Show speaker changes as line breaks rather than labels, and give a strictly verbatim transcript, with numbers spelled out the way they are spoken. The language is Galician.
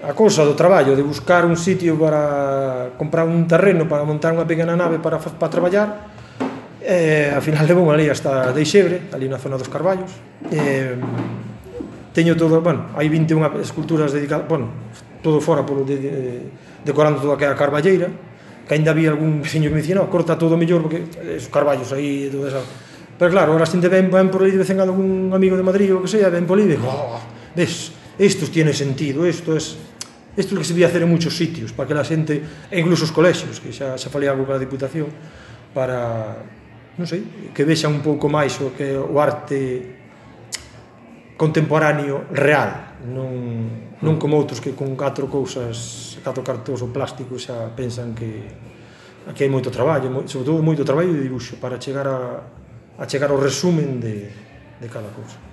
a cousa do traballo, de buscar un sitio para comprar un terreno para montar unha pequena nave para, para traballar, e ao final levou ali hasta Deixebre, ali na zona dos Carballos. E, teño todo, bueno, hai vinte e unha esculturas dedicadas, bueno, todo fora polo de, de, decorando toda a carballeira, que ainda había algún veciño que me dicía, no, corta todo mellor porque esos carballos aí e todo eso. Pero claro, ahora xente ven, ven por aí de vez en cando un amigo de Madrid ou que sea, ven por aí e digo, oh, ves, esto tiene sentido, esto es isto é o que se debía hacer en muchos sitios, para que la xente, e incluso os colexios, que xa, xa falei algo con a Diputación, para, non sei, que vexan un pouco máis o que o arte contemporáneo real, non, non como outros que con catro cousas, catro cartóns ou plástico xa pensan que aquí hai moito traballo, sobre todo moito traballo de dibuixo para chegar a, a chegar ao resumen de, de cada cousa.